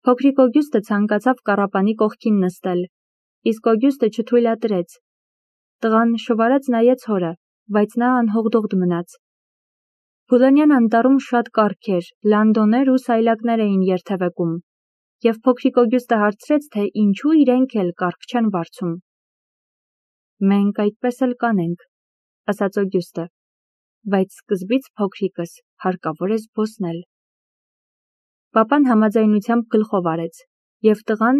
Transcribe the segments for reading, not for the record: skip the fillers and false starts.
Փոքրիկ Օգյուստը ցանկացավ կառապանի կողքին նստել, իսկ Օգյուստը չթույլատրեց։ Տղան շվարած նայեց հորը, բայց նա անհողդողդ մնաց։ Փուլանյան անտառում շատ կառք էր, լանդոներ ու սայլակներ էին երթևեկում, և փոքրիկ Օգյուստը հարցրեց, թե ինչու իրենք էլ կառք չեն վարձում։ Մենք այդպես էլ կանենք, ասաց Օգյուստը, բայց սկզբից փոքրիկս հարկավոր է զբոսնել։ Պապան համաձայնությամբ գլխով արեց, և տղան,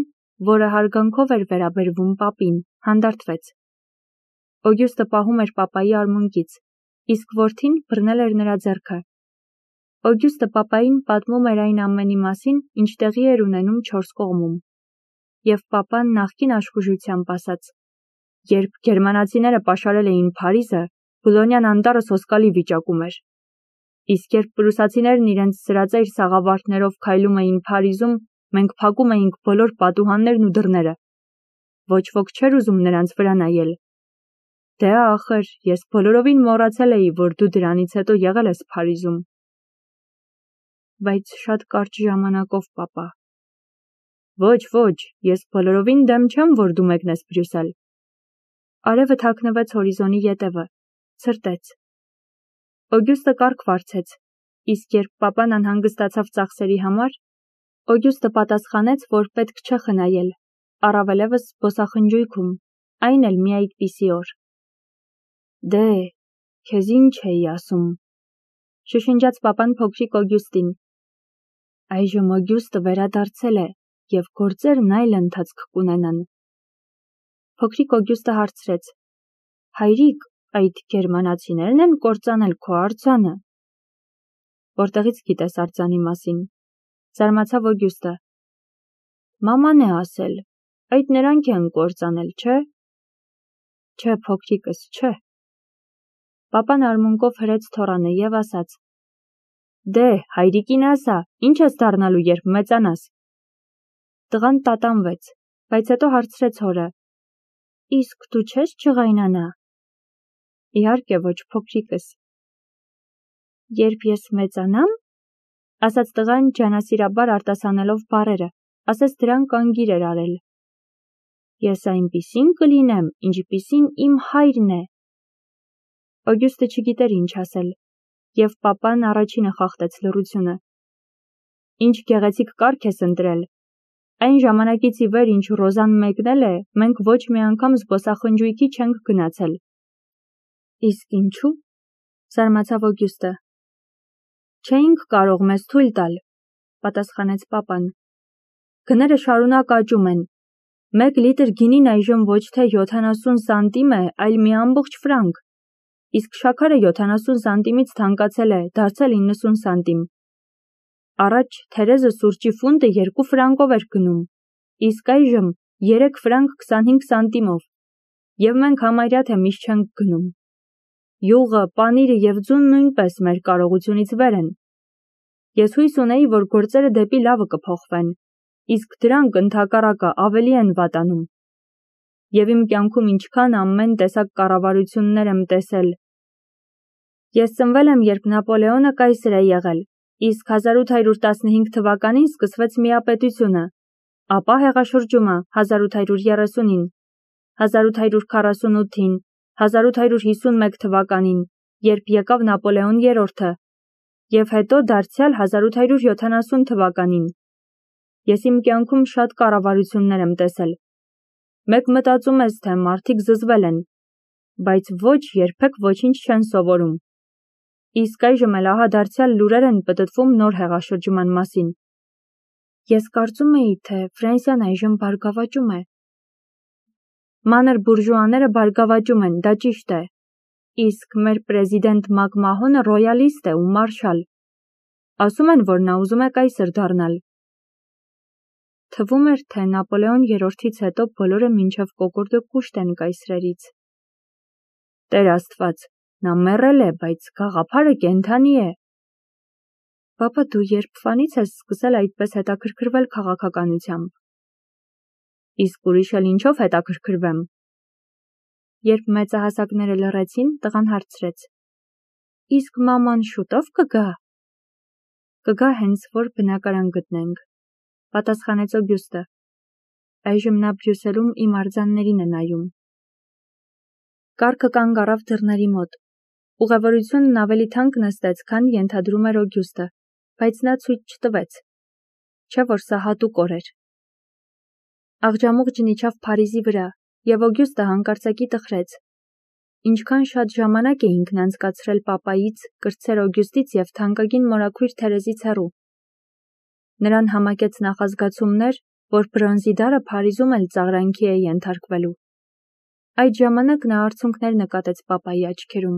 որը հարգանքով էր վերաբերվում պապին, հանդարտվեց։ Օգյուստը պահում էր պապայի արմունկից, իսկ որդին բռնել էր նրա ձեռքը։ Օգյուստը պապային պատմում էր այն ամենի մասին, ինչ տեղի էր ունենում 4 կողմում։ Եվ պապան նախկին աշխուժությամբ ասաց. երբ գերմանացիները պաշարել էին Փարիզը, Բուլոնյան անտառը սոսկալի վիճակում էր։ Իսկ երբ պրուսացիներն իրենց սրածայր սաղավարտներով քայլում էին Փարիզում, մենք փակում էինք բոլոր պատուհաններն ու դռները։ Ոչ ոք չէր ուզում նրանց վրա նայել։ Դե ախր, ես բոլորովին մոռացել էի, որ դու դրանից հետո եղել ես Փարիզում։ Բայց շատ կարճ ժամանակով, պապա։ Ոչ, ես բոլորովին դեմ չեմ, որ դու մեկնես Բրյուսել։ Արևը թաքնվեց հորիզոնի ետևը, ցրտեց։ Օգյուստը կառք վարձեց, իսկ երբ պապան անհանգստացավ ծախսերի համար, Օգյուստը պատասխանեց, որ պետք չէ խնայել, առավելևս զբոսախնջույքում, այն էլ մի այդպիսի օր։ Դե, քեզ ինչ էի ասում, շշնջաց պապան փոքրիկ Օգյուստին։ Այժմ Օգյուստը վերադարձել է, և գործերն այլ ընթացք կունենան։ Փոքրիկ Օգյուստը հարցրեց. հայրիկ, այդ գերմանացիներն են կործանել քո արձանը։ Որտեղից գիտես արձանի մասին, զարմացավ Օգյուստը։ Մաման է ասել, այդ նրանք են կործանել, չէ։ Չէ, փոքրիկս, չէ։ Պապան արմունկով հրեց թոռանը և ասաց. դե, հայրիկին ասա, ինչ ես դառնալու, երբ մեծանաս։ Տղան տատանվեց, բայց հետո հարցրեց հորը. իսկ դու չես ջղայնանա։ Իհարկե ոչ, փոքրիկս։ Երբ ես մեծանամ, ասաց տղան ջանասիրաբար արտասանելով բառերը, ասես դրանք անգիր էր արել։ Ես այնպիսին կլինեմ, ինչպիսին իմ հայրն է։ Օգյուստը չգիտեր ինչ ասել, և պապան առաջինը խախտեց լռությունը։ Ինչ գեղեցիկ կառք ես ընտրել։ Այն ժամանակից ի վեր, ինչ Ռոզան մեկնել է, մենք ոչ մի անգամ զբոսախնջույքի չենք գնացել։ Իսկ ինչու՞, զարմացավ Օգյուստը։ Չէինք կարող մեզ թույլ տալ, պատասխանեց պապան։ Գները շարունակ աճում են։ 1 լիտր գինին այժմ ոչ թե 70 սանտիմ է, այլ մի ամբողջ ֆրանկ, իսկ շաքարը 70 սանտիմից թանկացել է, դարձել 90 սանտիմ։ Առաջ թերեզը սուրճի ֆունդը 2 ֆրանկով էր գնում, իսկ այժմ 3 ֆրանկ 25 սանտիմով, և մենք համարյա թե միշտ չենք գնում։ Յուղը, պանիրը և ձուն նույնպես մեր կարողությունից վեր են։ Ես հույս ունեի, որ գործերը դեպի լավը կփոխվեն, իսկ դրանք ընդհակառակը ավելի են վատանում։ Եվ իմ կյանքում ինչքան ամեն տեսակ կառավարություններ եմ տեսել։ Ես ծնվել եմ, երբ Նապոլեոնը կայսր է եղել, իսկ 1815 թվականին սկսվեց միապետությունը, ապա հեղաշրջումը 1830-ին, 1848-ին, 1851 թվականին, երբ եկավ Նապոլեոն III-ը, և հետո դարձյալ 1870 թվականին։ Ես իմ կյանքում շատ կառավարություններ եմ տեսել։ Մեկ մտածում ես, թե մարդիկ զզվել են, բայց ոչ, երբեք ոչինչ չեն սովորում։ Իսկ այժմ էլ ահա դարձյալ լուրեր են պտտվում նոր հեղաշրջման մասին։ Ես կարծում էի, թե Ֆրանսիան այժմ բարգավաճում է։ Մանր բուրժուաները բարգավաճում են, դա ճիշտ է։ Իսկ մեր պրեզիդենտ Մակմահոնը ռոյալիստ է ու մարշալ։ Ասում են, որ նա ուզում է կայսր դառնալ։ Թվում էր, թե Նապոլեոն III-ից հետո բոլորը մինչև կոկորդը կուշտ են կայսրերից։ Տեր Աստված, նա մեռել է, բայց գաղափարը կենդանի է։ Պապա, դու երբվանից ես սկսել այդպես հետաքրքրվել քաղաքականությամբ։ Իսկ ուրիշ էլ ինչով հետաքրքրվեմ։ Երբ մեծահասակները լռեցին, տղան հարցրեց. իսկ մաման շուտով կգա։ Կգա հենց որ բնակարան գտնենք։ Պատասխանեց Օգյուստը։ Այժմ նա Բրյուսելում իմ արձաններին է նայում։ Կառքը կանգ առավ դռների մոտ։ Ուղևորությունն ավելի թանկ նստեց, քան ենթադրում էր Օգյուստը, բայց նա ցույց չտվեց։ Չէ՞ որ սա հատուկ օր էր։ Աղջամուղջն իջավ Փարիզի վրա, և Օգյուստը հանկարծակի տխրեց։ Ինչքան շատ ժամանակ էինք անցկացրել պապայից, կրտսեր Օգյուստից և թանկագին մորաքույր Թերեզից հեռու։ Նրան համակեց նախազգացումներ, որ բրոնզի դարը Փարիզում էլ ծաղրանքի է ենթարկվելու։ Այդ ժամանակ նա արցունքներ նկատեց պապայի աչքերում։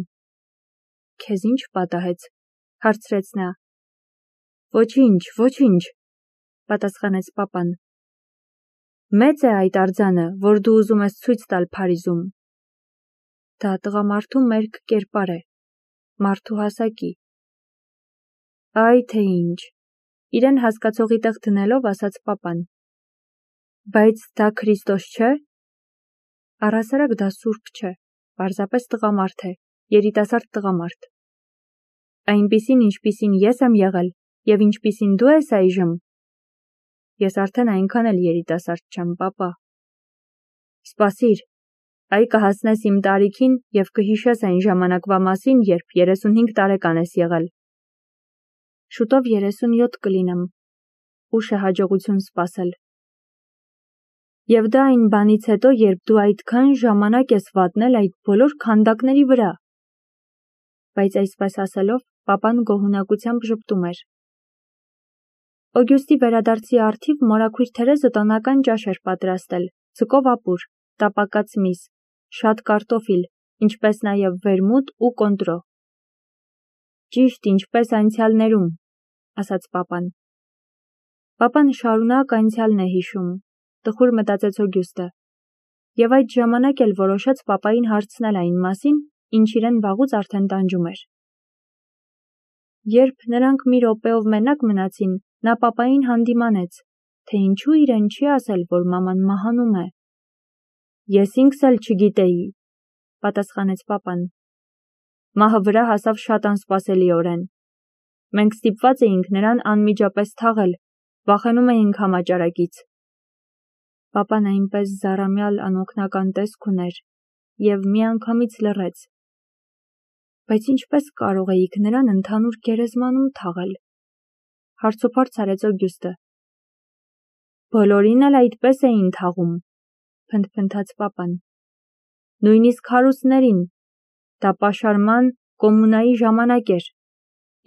Քեզ ինչ պատահեց, հարցրեց նա։ Ոչինչ, ոչինչ, պատասխանեց պապան։ Մեծ է այդ արձանը, որ դու ուզում ես ցույց տալ Փարիզում։ Դա տղամարդու մերկ կերպար է, մարդու հասակի։ Այ թե ինչ, իրեն հասկացողի տեղ դնելով ասաց պապան։ Բայց դա Քրիստոս չէ։ Առհասարակ դա սուրբ չէ, պարզապես տղամարդ է, երիտասարդ տղամարդ։ Այնպիսին, ինչպիսին ես եմ եղել, և ինչպիսին դու ես այժմ։ Ես արդեն այնքան էլ երիտասարդ չեմ, պապա։ Սպասիր, այ կհասնես իմ տարիքին և կհիշես այն ժամանակվա մասին, երբ 35 տարեկան ես եղել։ Շուտով 37 կլինեմ, ուշ է հաջողություն սպասել։ Եվ դա այն բանից հետո, երբ դու այդքան ժամանակ ես վատնել այդ բոլոր քանդակների վրա։ Բայց այսպես ասելով, պապան գոհունակությամբ ժպտում էր։ Օգյուստի վերադարձի առթիվ մորաքույր Թերեզը տոնական ճաշ էր պատրաստել, ձկով ապուր, տապակած միս, շատ կարտոֆիլ, ինչպես նաև վերմուտ ու կոնտրո։ Ճիշտ ինչպես անցյալներում, ասաց պապան։ Պապան շարունակ անցյալն է հիշում, տխուր մտածեց Օգյուստը, և այդ ժամանակ էլ որոշեց պապային հարցնել այն մասին, ինչ իրեն վաղուց արդեն տանջում էր։ Երբ նրանք մի րոպեով մենակ մնացին, նա պապային հանդիմանեց, թե ինչու իրեն չի ասել, որ մաման մահանում է։ Ես ինքս էլ չգիտեի, պատասխանեց պապան։ Մահը վրա հասավ շատ անսպասելիորեն։ Մենք ստիպված էինք նրան անմիջապես թաղել, վախենում էինք համաճարակից։ Պապան այնպես զառամյալ անօգնական տեսք ուներ և միանգամից լռեց։ Բայց ինչպես կարող էիք նրան ընդհանուր գերեզմանում թաղել, հարցուփորձ արեց Օգյուստը։ Բոլորին էլ այդպես էին թաղում, փնթփնթաց պապան։ Նույնիսկ հարուստներին, դա պաշարման, կոմունայի ժամանակ էր,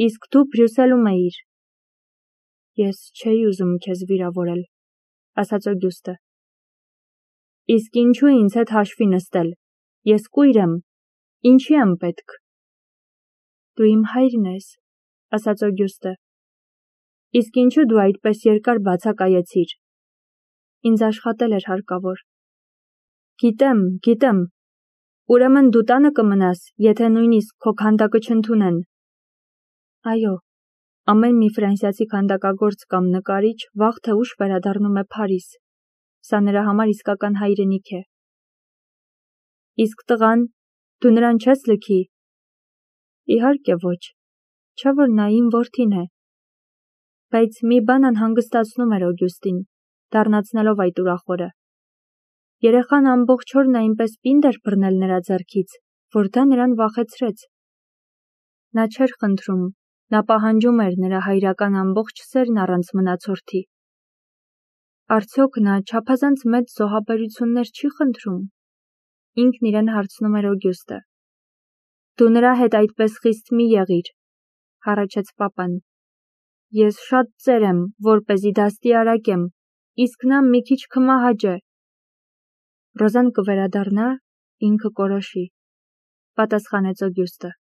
իսկ դու Բրյուսելում էիր։ Ես չէի ուզում քեզ վիրավորել, ասաց Օգյուստը։ Իսկ ինչու ինձ հետ հաշվի նստել, ես կույր եմ, ինչի եմ պետք։ Դու իմ հայրն ես, ասաց Օգյուստը։ Իսկ ինչու դու այդպես երկար բացակայեցիր։ Ինձ աշխատել էր հարկավոր։ Գիտեմ, ուրեմն դու տանը կմնաս, եթե նույնիսկ քո քանդակը չընդունեն։ Այո, ամեն մի ֆրանսիացի քանդակագործ կամ նկարիչ վաղ թե ուշ վերադառնում է Փարիզ։ Սա նրա համար իսկական հայրենիք է։ Իսկ տղան, դու նրան չես լքի։ Իհարկե ոչ, չէ՞ որ նա իմ որդին է։ Բայց մի բան անհանգստացնում էր Օգյուստին, դառնացնելով այդ ուրախ օրը։ Երեխան ամբողջ օրն այնպես պինդ էր բռնել նրա ձեռքից, որ դա նրան վախեցրեց։ Նա չէր խնդրում, նա պահանջում էր նրա հայրական ամբողջ սերն առանց մնացորդի։ Արդյոք նա չափազանց մեծ զոհաբերություններ չի խնդրում։ Ինքն իրեն հարցնում էր Օգյուստը։ Դու նրա հետ այդպես խիստ մի եղիր, հառաչեց պապան։ Ես շատ ծեր եմ, որպեսզի դաստիարակեմ, իսկ նա մի քիչ կմահաճ է։ Ռոզան կվերադառնա, ինքը կորոշի, պատասխանեց Օգյուստը։